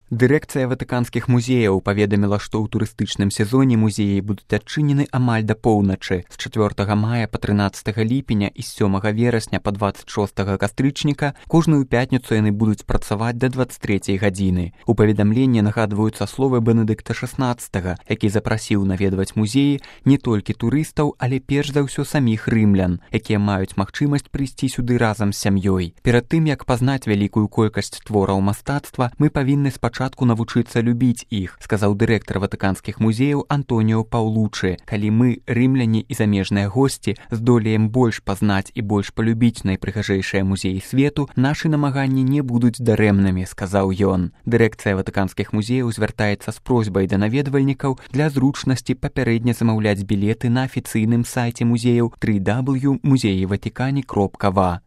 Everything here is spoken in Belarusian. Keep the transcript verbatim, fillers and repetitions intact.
Дырэкцыя ватыканскіх музеяў паведаміла, што ў турыстычным сезоне музеі будуць адчынены амаль да поўначы з чацвёртага мая па трынаццатага ліпеня і з сёмага верасня па дваццаць шостага кастрычніка. Кожную пятніцу яны будуць працаваць да дваццаць трэцяй гадзіны. У паведамленні нагадваюцца словы Бенедыкта шаснаццатага, які запрасіў наведваць музеі не толькі турыстаў, але перш за ўсё саміх рымлян, якія маюць магчымасць прыйсці сюды разам з сям'ёй. Перад тым, як пазнаць вялікую колькасць твораў мастацтва, мы павінны спачатку Спачатку навучыцца любіць іх, сказаў дырэктар ватыканскіх музеяў Антоніо Паўлучы. Калі мы, рымляне і замежныя госці, здолеем больш пазнаць і больш палюбіць найпрыгажэйшыя музеі свету, нашы намаганні не будуць дарэмнымі, сказаў ён. Дырэкцыя ватыканскіх музеяў звяртаецца з просьбай да наведвальнікаў для зручнасці папярэдне замаўляць білеты на афіцыйным сайце музеяў тры дабл ю крапка музеі ватыкане крапка ва.